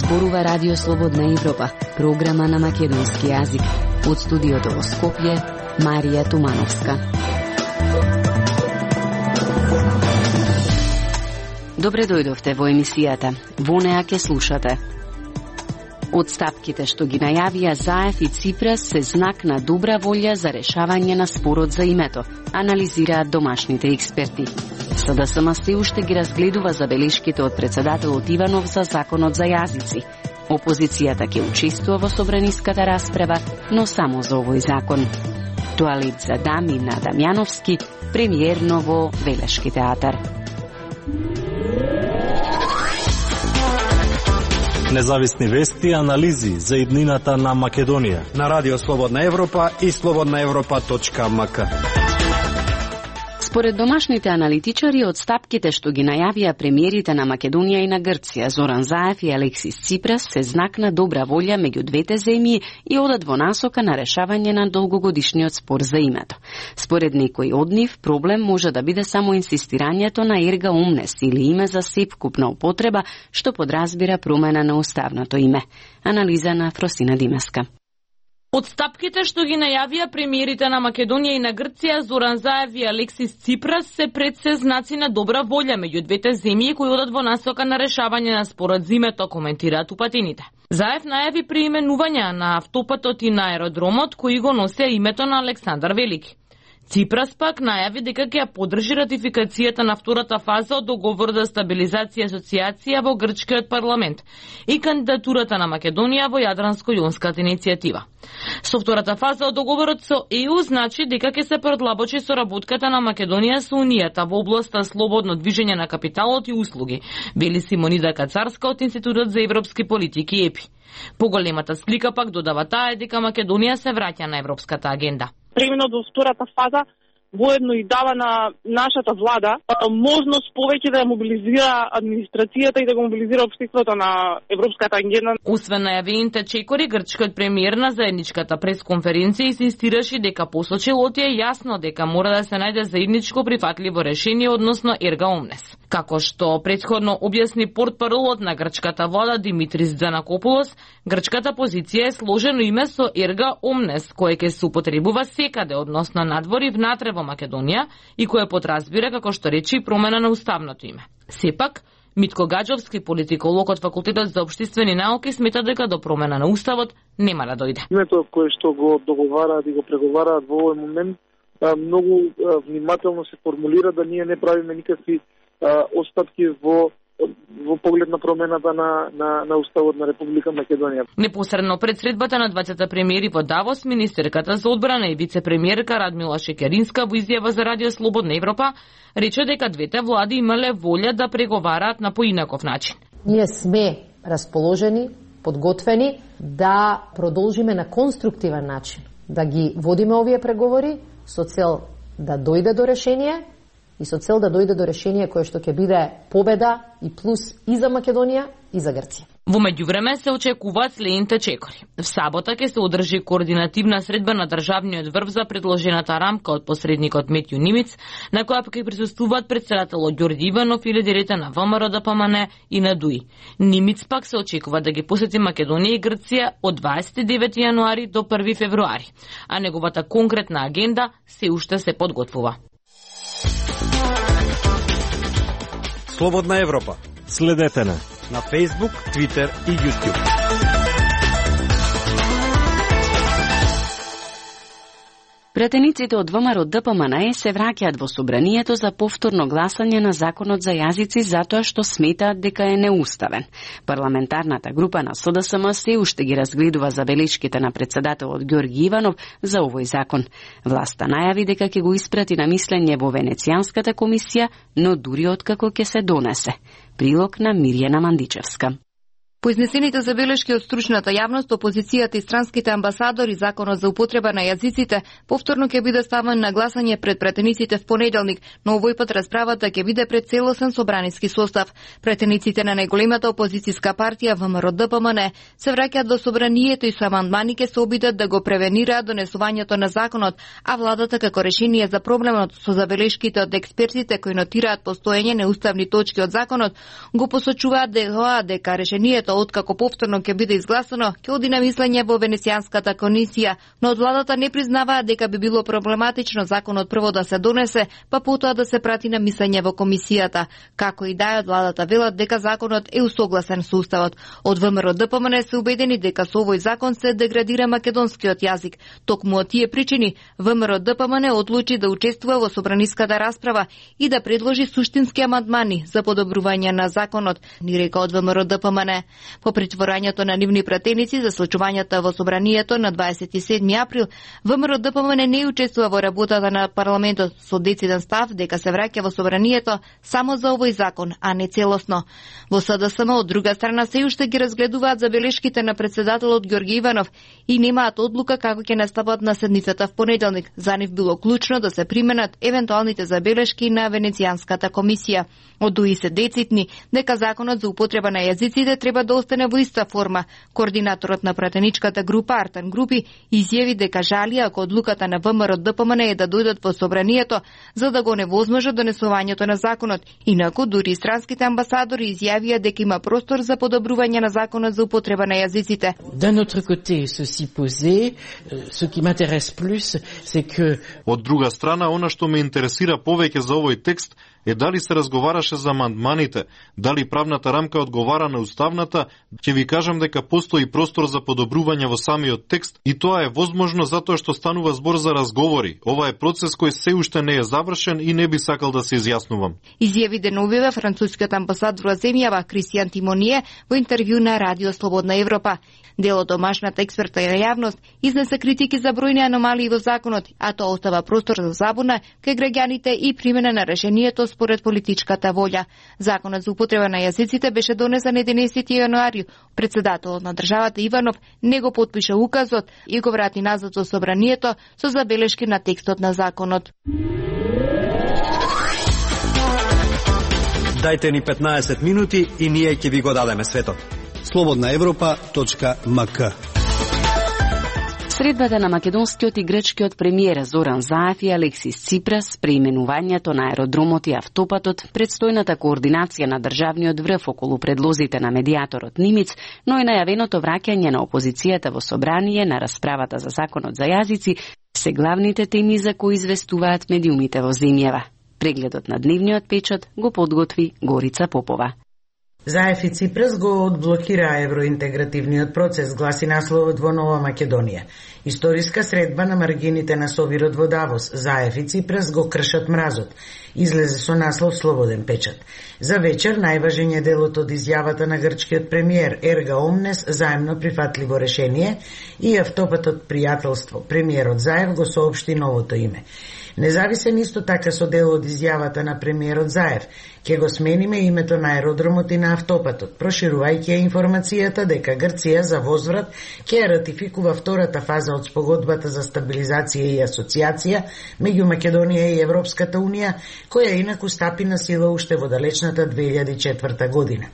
зборува Радио Слободна Европа, програма на македонски јазик. Од студиото во Скопје, Марија Тумановска. Добре дојдовте во емисијата. Во неа ќе слушате. Одстапките што ги најавија Заев и Ципрас се знак на добра волја за решавање на спорот за името, анализираат домашните експерти. СДСМ се уште ги разгледува забелешките од председателот Иванов за законот за јазици. Опозицијата ќе учествува во собраниската расправа, но само за овој закон. Туалет за дами на Дамјановски, премиерно во Велешки театар. Независни вести и анализи за иднината на Македонија на Радио Слободна Европа и slobodnaevropa.mk. Според домашните аналитичари, одстапките што ги најавија премиерите на Македонија и на Грција, Зоран Заев и Алексис Ципрас, се знак на добра волја меѓу двете земји и одат во насока на решавање на долгогодишниот спор за името. Според некои од нив, проблем може да биде само инсистирањето на ерга омнес или име за сепкупна употреба, што подразбира промена на уставното име. Анализа на Фросина Димеска. Одстапките што ги најавија премиерите на Македонија и на Грција, Зоран Заев и Алексис Ципрас, се пред се знаци на добра волја меѓу двете земји кои одат во насока на решавање на спорот за името, коментираат упатените. Заев најави преименување на автопатот и на аеродромот кои го носеа името на Александар Велики. Ципрас пак најави дека ќе ја поддржи ратификацијата на втората фаза од договор за стабилизација и асоциација во грчкиот парламент и кандидатурата на Македонија во Јадранско-јонската иницијатива. Со втората фаза од договорот со ЕУ значи дека ќе се продлабочи соработката на Македонија со Унијата во областа слободно движење на капиталот и услуги, вели Симонида Кацарска од Институтот за европски политики ЕПИ. Поголемата слика пак додава таа е дека Македонија се враќа на европската агенда. Преминот во втората фаза воедно и дава на нашата влада можност повеќе да ја мобилизира администрацијата и да го мобилизира општеството на европската агенда. Освен најавените чекори, грчкиот премиер на заедничката пресконференција инсистираше дека по случајот е јасно дека мора да се најде заедничко прифатливо решение односно ерга омнес. Како што претходно објасни портпаролот на грчката влада Димитрис Дзанакопулос, грчката позиција е сложено име со ерга омнес, кое ќе се употребува секаде, односно надвор и внатре во Македонија и кое подразбира, како што речи, промена на уставното име. Сепак, Митко Гаджовски, политиколог од Факултетот за општествени науки, смета дека до промена на уставот нема да дојде. Името кое што го договараат и го преговараат во овој момент многу внимателно се формулира да ние не правиме никакви остатки во поглед на промената на уставот на Република Македонија. Непосредно пред средбата на двајцата премиери во Давос, министерката за одбрана и вице-премиерка Радмила Шекеринска во изјава за Радио Слободна Европа рече дека двете влади имале волја да преговараат на поинаков начин. Ние сме расположени, подготвени да продолжиме на конструктивен начин, да ги водиме овие преговори со цел да дојде до решение и со цел да дојде до решение кое што ќе биде победа и плюс и за Македонија и за Грција. Во меѓувреме се очекуваат следните чекори. В сабота ќе се одржи координативна средба на државниот врв за предложената рамка од посредникот Метју Нимиц, на која ќе присуствуваат председателот Ѓорѓи Иванов и лидерите на ВМРО, ДПМН и на ДУИ. Нимиц пак се очекува да ги посети Македонија и Грција од 29 јануари до 1 февруари, а неговата конкретна агенда се уште се подготвува. Слободна Европа. Следете на Facebook, Twitter и YouTube. Претениците од ВМРО ДПМН се враќаат во собранието за повторно гласање на законот за јазици затоа што сметаат дека е неуставен. Парламентарната група на СДСМ се уште ги разгледува забелешките на председателот Ѓорѓи Иванов за овој закон. Власта најави дека ќе го испрати на мислење во Венецијанската комисија, но дури откако ќе се донесе. Прилог на Мирјана Мандичевска. По изнесените забелешки од стручната јавност, опозицијата и странските амбасадори, законот за употреба на јазиците повторно ќе биде ставен на гласање пред претениците в понеделник, но овој пат расправата ќе биде пред целосен собраниски состав. Претениците на најголемата опозицијска партија ВМРО ДПМН се враќаат во собранието и со амандмани ќе се обидат да го превенираат донесувањето на законот, а владата како решение за проблемот со забелешките од експертите кои нотираат постоење неуставни точки од законот го посочуваат дека решението решението откако повторно ќе биде изгласано, ќе оди на мислење во Венецијанската комисија, но од владата не признаваат дека би било проблематично законот прво да се донесе, па потоа да се прати на мислење во комисијата. Како и да е, од владата велат дека законот е усогласен со уставот. Од ВМРО ДПМН се убедени дека со овој закон се деградира македонскиот јазик. Токму од тие причини ВМРО ДПМН одлучи да учествува во собраниската расправа и да предложи суштински амандмани за подобрување на законот, ни река од ВМРО ДПМН. По притворањето на нивни пратеници за случувањата во собранието на 27 април, ВМРО ДПМН не учествува во работата на парламентот со дециден став дека се враќа во собранието само за овој закон, а не целосно. Во СДСМ од друга страна се уште ги разгледуваат забелешките на председателот Ѓорѓе Иванов и немаат одлука како ќе настапат на седницата в понеделник. За нив било клучно да се применат евентуалните забелешки на Венецијанската комисија. Од дуи се децитни дека законот за употреба на јазиците треба да остане во иста форма. Координаторот на пратеничката група Артан Групи изјави дека жали ако одлуката на ВМРО ДПМН е да дојдат во собранието за да го невозможат донесувањето на законот. Инаку дури странските амбасадори изјавија дека има простор за подобрување на законот за употреба на јазиците. D'un autre côté, ceci posé, ce qui m'intéresse plus, c'est que... Од друга страна, она што ме интересира повеќе за овој текст е дали се разговараше за амандманите, дали правната рамка одговара на уставната. Ќе ви кажам дека постои простор за подобрување во самиот текст и тоа е возможно затоа што станува збор за разговори. Ова е процес кој се уште не е завршен и не би сакал да се изјаснувам. Изјави деновиве францускиот амбасадор во земјава Кристијан Тимоние во интервју на Радио Слободна Европа. Дел од домашната експертна јавност изнесе критики за бројни аномалии во законот, а тоа остава простор за забуна кај граѓаните и примена на решението според политичката волја. Законот за употреба на јазиците беше донесен 11 јануари. Председателот на државата Иванов не го потпиша указот и го врати назад во собранието со забелешки на текстот на законот. Дајте ни 15 минути и ние ќе ви го дадеме светот. slobodnaevropa.mk. Средбата на македонскиот и грчкиот премиер Зоран Заев и Алексис Ципрас, преименувањето на аеродромот и автопатот, предстојната координација на државниот врв околу предлозите на медијаторот Нимиц, но и најавеното враќање на опозицијата во собрание на расправата за законот за јазици, се главните теми за кои известуваат медиумите во земјава. Прегледот на дневниот печат го подготви Горица Попова. Заев и Ципрас го одблокира евроинтегративниот процес, гласи насловот во Нова Македонија. Историска средба на маргините на Собирот во Давос. Заев и Ципрас го кршат мразот. Излезе со наслов Слободен печат. За вечер најважен е делот од изјавата на грчкиот премиер Ерга Омнес, заемно прифатливо решение, и автопатот пријателство. Премиерот Заев го соопшти новото име. Независен исто така со дел од изјавата на премиерот Заев. Ќе го смениме името на аеродромот и на автопатот, проширувајќи информацијата дека Грција за возврат ќе ратификува втората фаза од спогодбата за стабилизација и асоциација меѓу Македонија и Европската унија, која инаку стапи на сила уште во далечната 2004 година.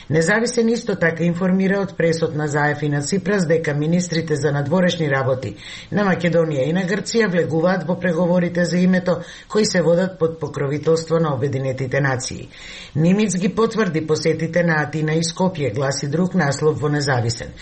Независен исто така информира од пресот на Заев и на Ципрас дека министрите за надворешни работи на Македонија и на Грција влегуваат во преговорите за името кои се водат под покровителство на Обединетите нации. Нимиц ги потврди посетите на Атина и Скопје, гласи друг наслов во Независен.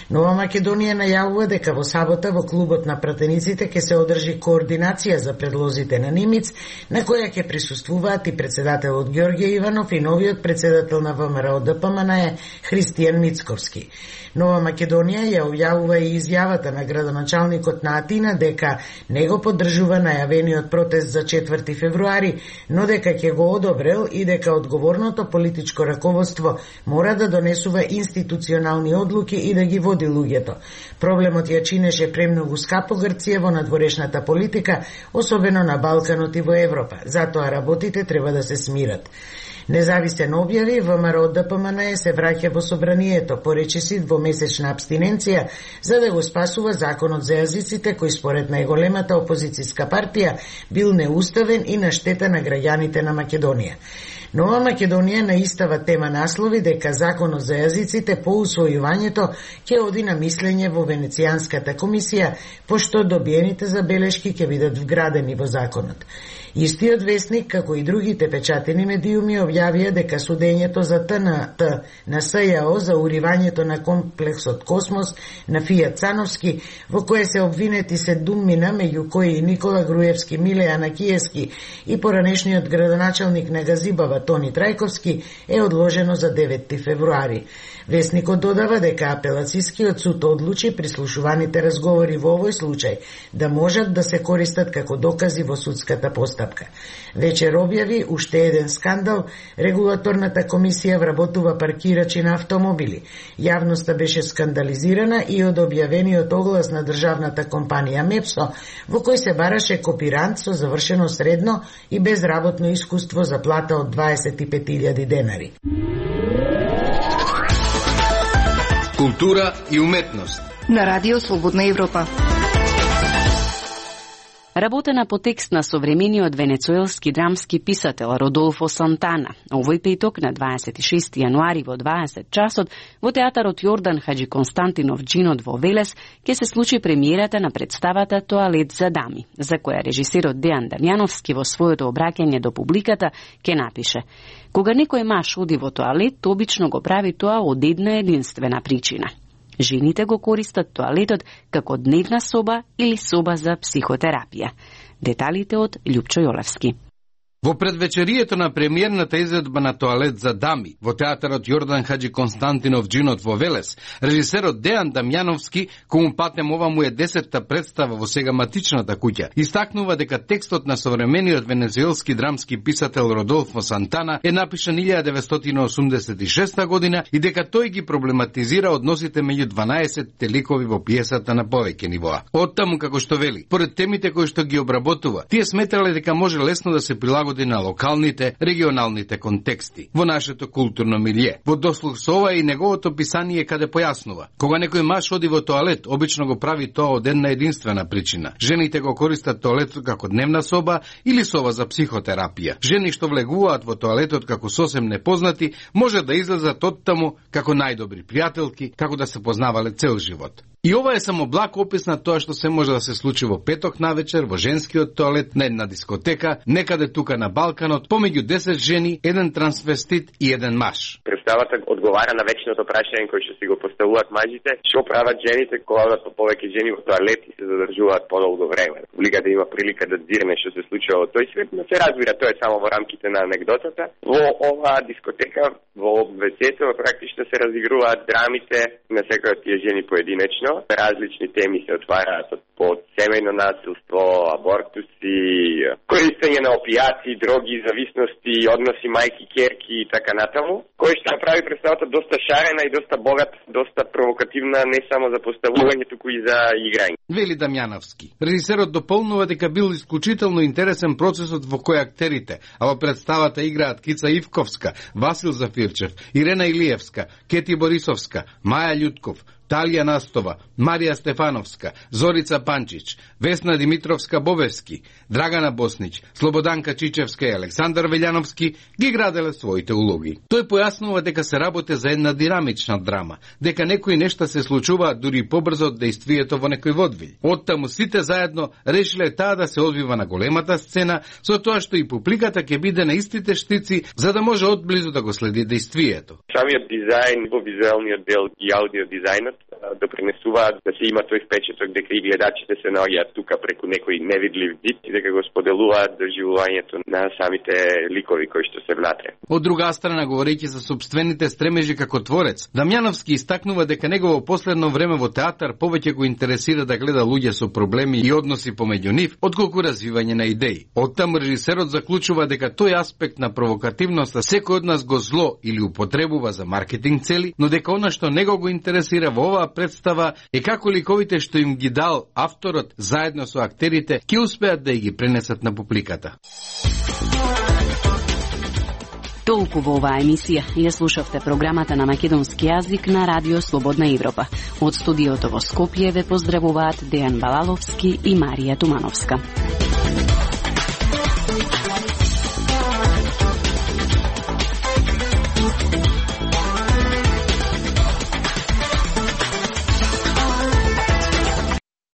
Нова Македонија најавува дека во сабота во клубот на пратениците ќе се одржи координација за предлозите на Нимиц, на која ќе присуствуваат и председателот Ѓорѓе Иванов и новиот председател на ВМРО ДПМН е Христијан Мицковски. Нова Македонија ја објавува и изјавата на градоначалникот на Атина дека не го поддржува најавениот протест за 4 февруари, но дека ќе го одобрел и дека одговорното политичко раководство мора да донесува институционални одлуки и да ги води луѓето. Проблемот ја чинеше премногу скапо Грција во надворешната политика, особено на Балканот и во Европа. Затоа работите треба да се смират. Независен објави, ВМРО ДПМН се враќа во собранието, поречиси двомесечна абстиненција за да го спасува законот за јазиците кој според најголемата опозицијска партија бил неуставен и на штета на граѓаните на Македонија. Нова Македонија на истава тема наслови дека Законот за јазиците по усвојувањето ќе оди на мислење во Венецијанската комисија, пошто добиените забелешки ќе бидат вградени во законот. Истиот весник, како и другите печатени медиуми, објавија дека судењето за ТНТ на СЈО за уривањето на комплексот Космос на Фијат Цановски, во кое се обвинети 7 меѓу кои и Никола Груевски, Миле Анакиевски и поранешниот градоначалник на Газибава Тони Трајковски, е одложено за 9 февруари. Весникот додава дека апелацијскиот суд одлучи прислушуваните разговори во овој случај да можат да се користат како докази во судската постапка. Вечер објави уште еден скандал, регулаторната комисија вработува паркирачи на автомобили. Јавноста беше скандализирана и од објавениот оглас на државната компанија Мепсо, во кој се бараше копирант со завршено средно и безработно искуство за плата од 25.000 денари. Култура и уметност на Радио Слободна Европа. Работена по текст на современиот венецуелски драмски писател Родолфо Сантана. Овој петок на 26 јануари во 20 часот во театарот Јордан Хаджи Константинов Джинот во Велес ќе се случи премиерата на представата Тоалет за дами, за која режисерот Дејан Дамјановски во своето обраќање до публиката ќе напише: кога некој маж оди во тоалет, обично го прави тоа од една единствена причина. Жените го користат тоалетот како дневна соба или соба за психотерапија. Деталите од Љупчо Јолевски. Во предвечерието на премиерната изvedба на Тоалет за дами во театарот Јордан Хаджи Константинов Джинот во Велес, режисерот Дејан Дамјановски, кому патем ова му е 10-та представа во сега матичната куќа, истакнува дека текстот на современиот венецуелски драмски писател Родолфо Сантана е напишан 1986 година и дека тој ги проблематизира односите меѓу 12 ликови во пиесата на повеќе нивоа. Оттаму, како што вели, поред темите кои што ги обработува, тие сметрале дека може лесно да се прилагоди на локалните, регионалните контексти во нашето културно милје. Во дослух со ова и неговото писание каде појаснува: кога некој маж оди во тоалет, обично го прави тоа од една единствена причина. Жените го користат тоалетот како дневна соба или соба за психотерапија. Жени што влегуваат во тоалетот како сосем непознати, може да излезат оттаму како најдобри пријателки, како да се познавале цел живот. И ова е само благ опис на тоа што се може да се случи во петок навечер во женскиот тоалет на една дискотека, некаде тука на Балканот, помеѓу 10 жени, еден трансвестит и еден маж. Представата одговара на вечното прашање кој што си го поставуваат мажите: што прават жените кога одат по повеќе жени во тоалет и се задржуваат подолго време. Публиката има прилика да дзирне што се случува во тој свет, но се разбира, тоа е само во рамките на анегдотата. Во оваа дискотека, во весето, практично се разигруваат драмите на секој од тие жени поединечно. Различни теми се отвараат од семејно насилство, абортуси, користење на опијати, дроги, зависности, односи мајки-керки и така натаму, кој што направи представата доста шарена и доста богат, доста провокативна не само за поставување, туку и за играње. Вели Дамјановски. Режисерот дополнува дека бил исклучително интересен процесот во кој актерите, а во представата играат Кица Ивковска, Васил Зафирчев, Ирена Илиевска, Кети Борисовска, Маја Љутков, Талија Настова, Марија Стефановска, Зорица Панчич, Весна Димитровска-Бобевски, Драгана Боснич, Слободанка Чичевска и Александар Велјановски ги граделе своите улоги. Тој појаснува дека се работи за една динамична драма, дека некои нешта се случуваат дури побрзо од дејствието во некој водвил. Оттаму сите заедно решиле таа да се одвива на големата сцена, со тоа што и публиката ќе биде на истите штици, за да може одблизу да го следи дејствието. Самиот дизајн во визуелниот дел и аудио дизајнот допринесуваат да се има тој впечаток дека и гледачите се наоѓаат тука преку некој невидлив зид и дека го споделуваат доживувањето на самите ликови кои што се внатре. Од друга страна, говорејќи за собствените стремежи како творец, Дамјановски истакнува дека негово последно време во театар повеќе го интересира да гледа луѓе со проблеми и односи помеѓу нив, отколку развивање на идеи. Оттаму режисерот заклучува дека тој аспект на провокативноста секој од нас го зло или употребува за маркетинг цели, но дека она што него го интересира во оваа представа е како ликовите што им ги дал авторот заедно со актерите ќе успеат да ги пренесат на публиката. Толку во оваа емисија. Ја слушавте програмата на македонски јазик на Радио Слободна Европа. Од студиото во Скопје ве поздравуваат Дејан Балаловски и Марија Тумановска.